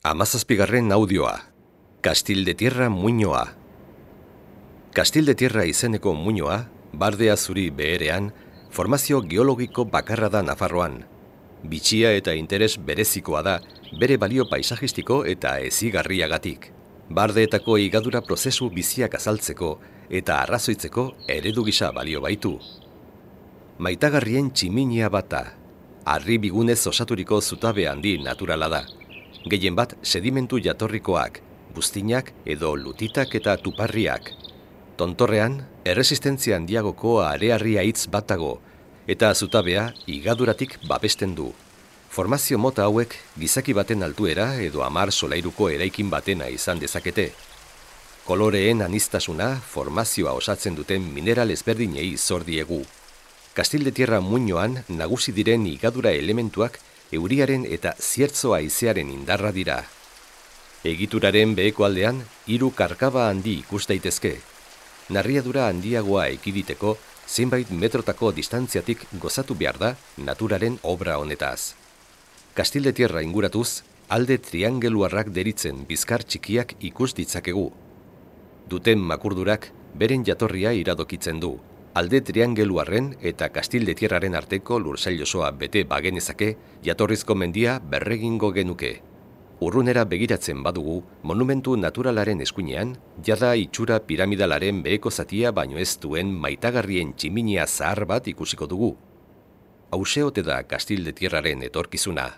Hamazazpigarren audioa. Kastil de Tierra muinoa. Kastil de Tierra izeneko muinoa, Bardea Zuri beherean, formazio geologiko bakarra da Nafarroan. Bitxia eta interes berezikoa da, bere balio paisajistiko eta hezigarriagatik. Bardeetako higadura prozesu biziak azaltzeko eta arrazoitzeko eredu gisa balio baitu. Maitagarrien tximinia bata, harri bigunez osaturiko zutabe handi naturala da. Gehien bat sedimentu jatorrikoak, buztinak edo lutitak eta tuparriak. Tontorrean, erresistentzia handiagoko arearria hitz bat dago, eta zutabea higaduratik babesten du. Formazio mota hauek gizaki baten altuera edo 10 solairuko eraikin batena izan dezakete. Koloreen aniztasuna formazioa osatzen duten mineral ezberdinei zor diegu. Kastil de Tierra muinoan nagusi diren higadura elementuak euriaren eta ziertzo haizearen indarra dira. Egituraren beheko aldean 3 karkaba handi ikus daitezke. Narriadura handiagoa ekiditeko zenbait metrotako distantziatik gozatu behar da naturaren obra honetaz. Kastil de Tierra inguratuz, alde triangeluarrak deritzen bizkar txikiak ikus ditzakegu. Duten makurdurak beren jatorria iradokitzen du. Alde triangeluarren eta Kastil de Tierraren arteko lursail osoa bete bagenezake, jatorrizko mendia berregingo genuke. Urrunera begiratzen badugu, monumentu naturalaren eskuinean, jada itxura piramidalaren beheko zatia baino ez duen maitagarrien tximinia zahar bat ikusiko dugu. Hauxe ote da Kastil de Tierraren etorkizuna.